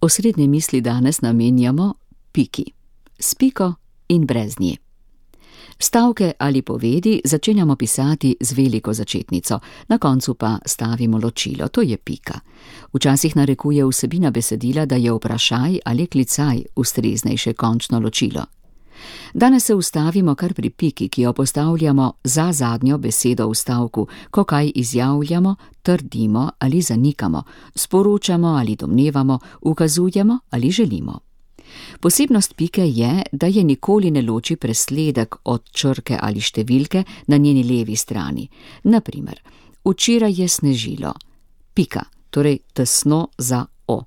Osrednje misli danes namenjamo piki, s piko in brez nje. Stavke ali povedi začenjamo pisati z veliko začetnico, na koncu pa stavimo ločilo, to je pika. Včasih narekuje vsebina besedila, da je vprašaj ali klicaj ustreznejše končno ločilo. Danes se ustavimo kar pri piki, ki jo postavljamo za zadnjo besedo v stavku, ko kaj izjavljamo, trdimo ali zanikamo, sporočamo ali domnevamo, ukazujemo ali želimo. Posebnost pike je, da je nikoli ne loči presledek od črke ali številke na njeni levi strani. Naprimer, včeraj je snežilo, pika, torej tesno za o.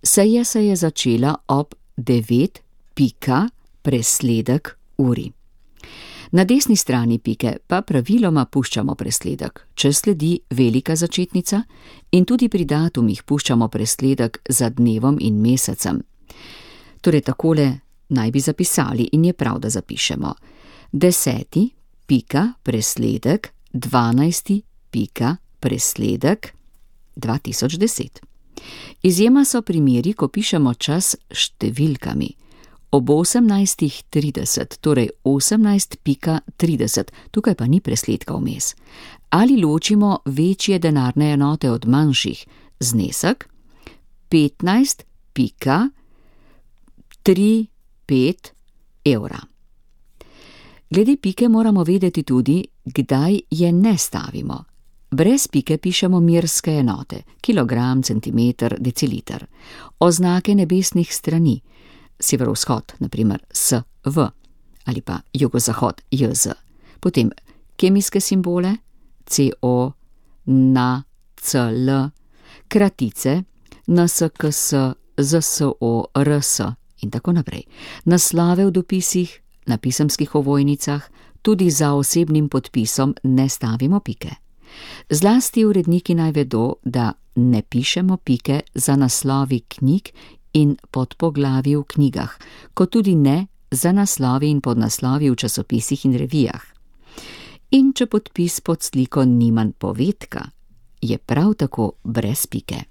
Seja se je začela ob 9, pika, presledek uri. Na desni strani pike pa praviloma puščamo presledek, če sledi velika začetnica, in tudi pri datumih puščamo presledek za dnevom in mesecem. Torej takole naj bi zapisali in je prav, da zapišemo. 10. pika, presledek, 12. pika, presledek, 2010. Izjema so primeri, ko pišemo čas številkami. Ob 18:30, torej 18:30, tukaj pa ni presledka vmes. Ali ločimo večje denarne enote od manjših, znesek 15,35 evra. Glede pike moramo vedeti tudi, kdaj je ne stavimo. Brez pike pišemo merske enote, kilogram, centimeter, deciliter. Oznake nebesnih strani, severovzhod, naprimer SV, ali pa jugozahod, JZ. Potem kemijske simbole, CO, NA, CL, kratice, NSKS, ZSO, RS in tako naprej. Naslove v dopisih, na pisemskih ovojnicah, tudi za osebnim podpisom ne stavimo pike. Zlasti uredniki naj vedo, da ne pišemo pike za naslovi knjig in podpoglavi v knjigah, kot tudi ne za naslovi in podnaslovi v časopisih in revijah. In če podpis pod sliko ni manj povedka, je prav tako brez pike.